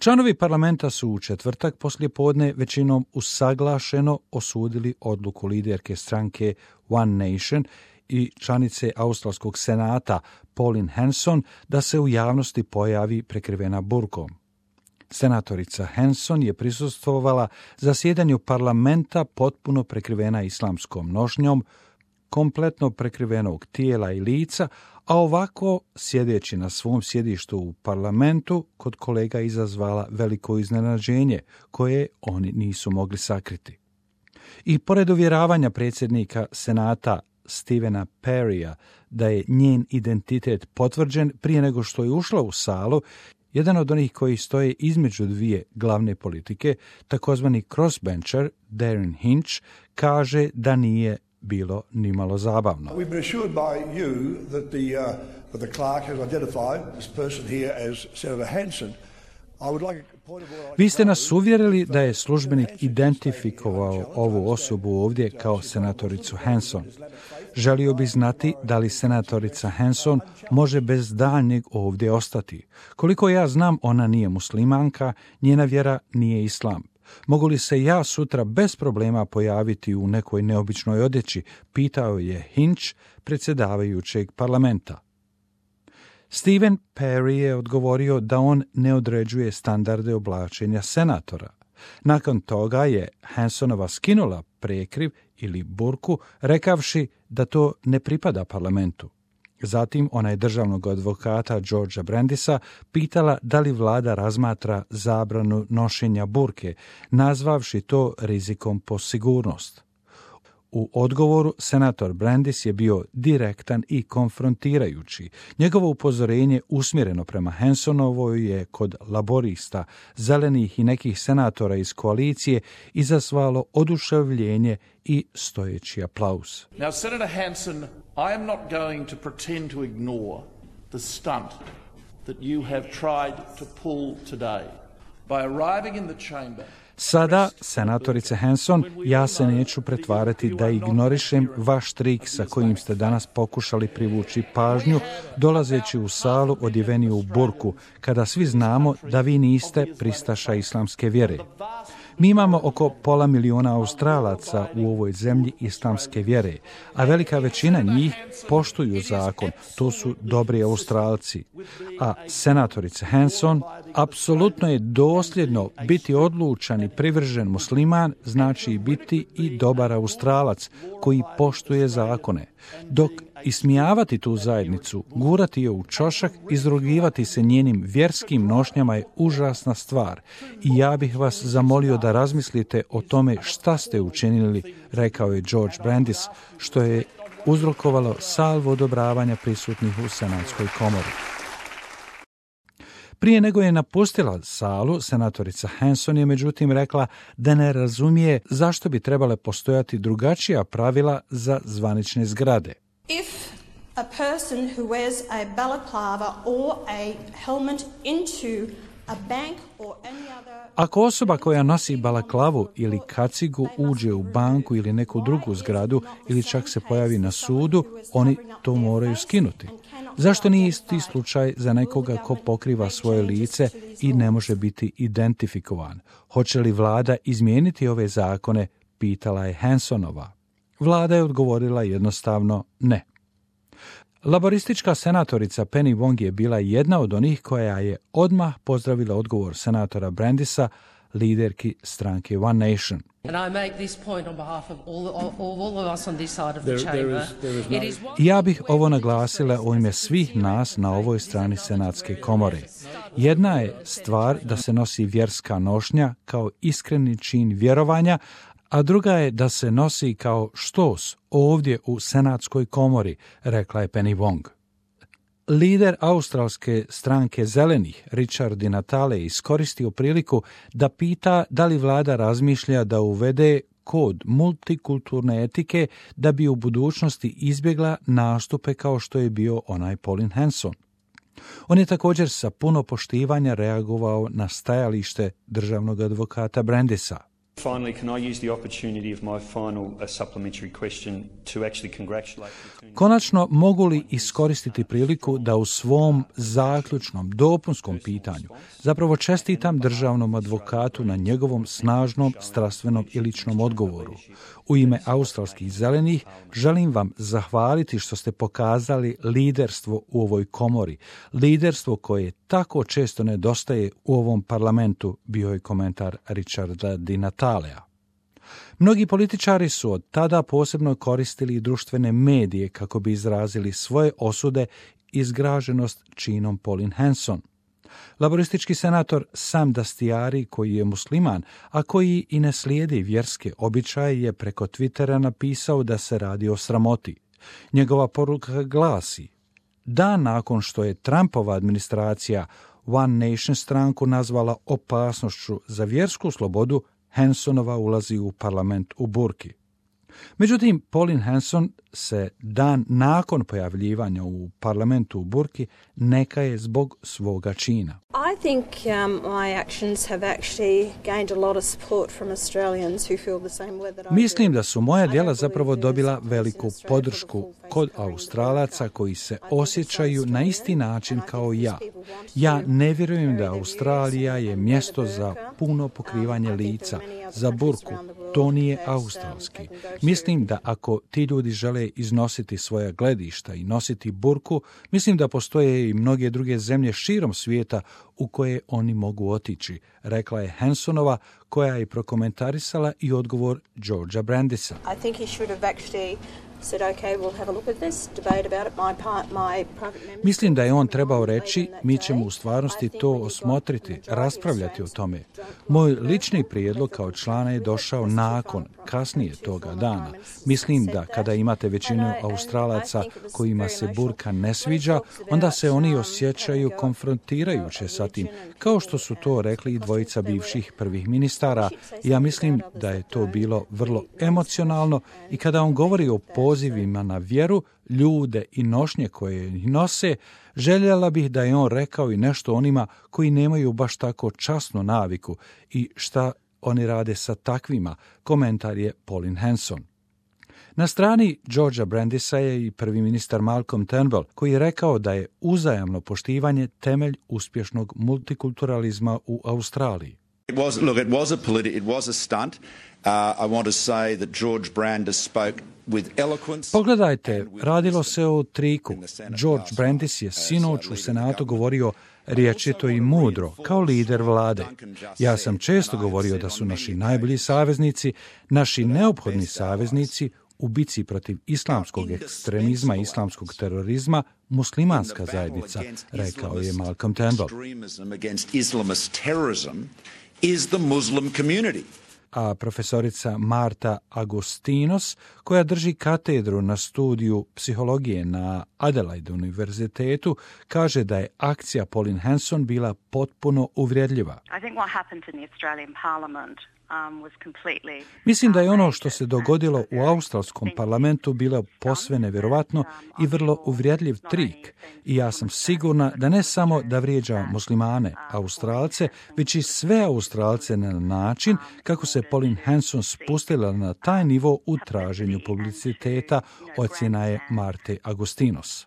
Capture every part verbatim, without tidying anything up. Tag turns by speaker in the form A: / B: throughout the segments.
A: Članovi parlamenta su u četvrtak poslijepodne većinom usaglašeno osudili odluku liderke stranke One Nation i članice Australskog senata Pauline Hanson da se u javnosti pojavi prekrivena burkom. Senatorica Hanson je prisustvovala zasjedanju parlamenta potpuno prekrivena islamskom nošnjom, kompletno prekrivenog tijela i lica, a ovako, sjedeći na svom sjedištu u parlamentu, kod kolega izazvala veliko iznenađenje, koje oni nisu mogli sakriti. I pored uvjeravanja predsjednika senata Stevena Perrya da je njen identitet potvrđen prije nego što je ušla u salu, jedan od onih koji stoje između dvije glavne politike, takozvani crossbencher Darren Hinch, kaže da nije bilo nimalo zabavno.
B: We've been assured by you that the, uh, that the clerk has identified this person here as Senator Hanson. I would like a point of order.
A: Vi ste nas uvjerili da je službenik identifikovao ovu osobu ovdje kao senatoricu Hanson. Želio bih znati da li senatorica Hanson može bez daljnjeg ovdje ostati. Koliko ja znam, ona nije muslimanka, njena vjera nije islam. Mogu li se ja sutra bez problema pojaviti u nekoj neobičnoj odjeći, pitao je Hinch, predsjedavajućeg parlamenta. Steven Perry je odgovorio da on ne određuje standarde oblačenja senatora. Nakon toga je Hansonova skinula prekriv ili burku, rekavši da to ne pripada parlamentu. Zatim ona je državnog advokata Georgea Brandisa pitala da li vlada razmatra zabranu nošenja burke, nazvavši to rizikom po sigurnost. U odgovoru senator Brandis je bio direktan i konfrontirajući. Njegovo upozorenje usmjereno prema Hansonovoj je kod laborista, zelenih i nekih senatora iz koalicije izazvalo oduševljenje i stojeći aplauz.
C: Now, Senator Hanson, I am not going to pretend to ignore the stunt that you have tried to pull today by arriving in the chamber.
A: Sada, senatorice Hanson, ja se neću pretvarati da ignorišem vaš trik sa kojim ste danas pokušali privući pažnju, dolazeći u salu odjeveni u burku, kada svi znamo da vi niste pristaša islamske vjere. Mi imamo oko pola miliona Australaca u ovoj zemlji islamske vjere, a velika većina njih poštuju zakon, to su dobri Australci. A senatorice Hanson, apsolutno je dosljedno biti odlučan i privržen musliman, znači biti i dobar Australac koji poštuje zakone. Dok ismijavati tu zajednicu, gurati je u čošak, izrugivati se njenim vjerskim nošnjama je užasna stvar. I ja bih vas zamolio da razmislite o tome šta ste učinili, rekao je George Brandis, što je uzrokovalo salvu odobravanja prisutnih u senatskoj komori. Prije nego je napustila salu, senatorica Hanson je međutim rekla da ne razumije zašto bi trebale postojati drugačija pravila za zvanične zgrade.
D: If a person who wears a balaclava or a helmet into a bank or any other...
A: Ako osoba koja nosi balaklavu ili kacigu uđe u banku ili neku drugu zgradu ili čak se pojavi na sudu, oni to moraju skinuti. Zašto nije isti slučaj za nekoga ko pokriva svoje lice i ne može biti identifikovan? Hoće li vlada izmijeniti ove zakone, pitala je Hansonova. Vlada je odgovorila jednostavno ne. Laboristička senatorica Penny Wong je bila jedna od onih koja je odmah pozdravila odgovor senatora Brandisa, liderki stranke One Nation. Ja bih ovo naglasila u ime svih nas na ovoj strani senatske komore. Jedna je stvar da se nosi vjerska nošnja kao iskreni čin vjerovanja, a druga je da se nosi kao štos ovdje u senatskoj komori, rekla je Penny Wong. Lider australske stranke zelenih, Richard Di Natale, iskoristio priliku da pita da li vlada razmišlja da uvede kod multikulturne etike da bi u budućnosti izbjegla nastupe kao što je bio onaj Pauline Hanson. On je također sa puno poštivanja reagovao na stajalište državnog advokata Brandisa.
E: Finally, can I use the opportunity of my final uh, supplementary question to actually congratulate the...
A: Konačno, mogu li iskoristiti priliku da u svom zaključnom dopunskom pitanju zapravo čestitam državnom advokatu na njegovom snažnom strastvenom i ličnom odgovoru. U ime australskih zelenih želim vam zahvaliti što ste pokazali liderstvo u ovoj komori, liderstvo koje tako često nedostaje u ovom parlamentu, bio je komentar Richarda Di Natalea. Mnogi političari su od tada posebno koristili društvene medije kako bi izrazili svoje osude i zgraženost činom Pauline Hanson. Laboristički senator Sam Dastyari, koji je musliman, a koji i ne slijedi vjerske običaje, je preko Twittera napisao da se radi o sramoti. Njegova poruka glasi: dan nakon što je Trumpova administracija One Nation stranku nazvala opasnošću za vjersku slobodu, Hansonova ulazi u parlament u burki. Međutim, Pauline Hanson se dan nakon pojavljivanja u parlamentu u burki neka je zbog svoga čina.
D: I think um, my actions have actually gained a lot of support from Australians who feel the same way that I do.
A: Mislim da su moja djela zapravo dobila veliku podršku kod Australaca koji se osjećaju na isti način kao ja. Ja ne vjerujem da Australija je mjesto za puno pokrivanje lica, za burku. To nije australski. Mislim da ako ti ljudi žele iznositi svoja gledišta i nositi burku, mislim da postoje i mnoge druge zemlje širom svijeta u koje oni mogu otići, rekla je Hansonova, koja je prokomentarisala i odgovor Georgea Brandisa.
D: I think he should have actually said, okay, we'll have a look at this, debate about it. My part, my private members...
A: Mislim da je on trebao reći, mi ćemo u stvarnosti to osmotriti, raspravljati o tome. Moj lični prijedlog kao člana je došao nakon, kasnije toga dana. Mislim da kada imate većinu Australaca kojima se burka ne sviđa, onda se oni osjećaju konfrontirajuće sa tim, kao što su to rekli i dvojica bivših prvih ministara. Ja mislim da je to bilo vrlo emocionalno i kada on govori o pozivima na vjeru, ljude i nošnje koje ih nose, željela bih da je on rekao i nešto onima koji nemaju baš tako časnu naviku i šta oni rade sa takvima, komentar je Pauline Hanson. Na strani Georgea Brandisa je i prvi ministar Malcolm Turnbull, koji je rekao da je uzajamno poštivanje temelj uspješnog multikulturalizma u Australiji.
F: It was, look, it was a politi- it was a stunt. Uh, I want to say that George Brandis spoke with eloquence.
A: Pogledajte, radilo se o triku. George Brandis je sinoć u Senatu govorio rječito i mudro, kao lider vlade. Ja sam često govorio da su naši najbolji saveznici, naši neophodni saveznici u bici protiv islamskog ekstremizma i islamskog terorizma muslimanska zajednica, rekao je Malcolm Turnbull.
F: Is the Muslim community.
A: A profesorica Marta Agostinos, koja drži katedru na studiju psihologije na Adelaide univerzitetu, kaže da je akcija Pauline Hanson bila potpuno uvredljiva.
G: I think what happened in the Australian Parliament Um, was completely...
A: Mislim da je ono što se dogodilo u australskom parlamentu bilo posve nevjerovatno i vrlo uvredljiv trik. I ja sam sigurna da ne samo da vrijeđa muslimane, Australce, već i sve Australce na način kako se Pauline Hanson spustila na taj nivo u traženju publiciteta, ocjena je Marte Agostinos.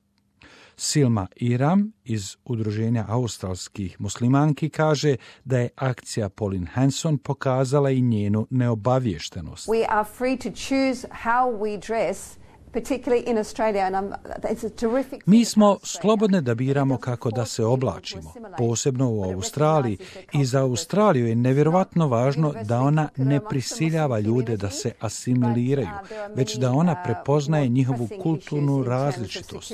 A: Silma Iram iz Udruženja australskih muslimanki kaže da je akcija Pauline Hanson pokazala i njenu neobaviještenost.
H: We are free to choose how we dress, particularly in Australia, and I'm, it's a terrific...
A: Mi smo slobodne da biramo kako da se oblačimo, posebno u Australiji. I za Australiju je nevjerovatno važno da ona ne prisiljava ljude da se asimiliraju, već da ona prepoznaje njihovu kulturnu različitost.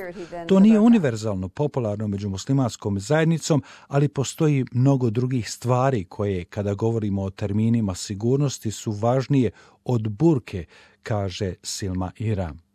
A: To nije univerzalno popularno među muslimanskom zajednicom, ali postoji mnogo drugih stvari koje, kada govorimo o terminima sigurnosti, su važnije od burke, kaže Silma Iram.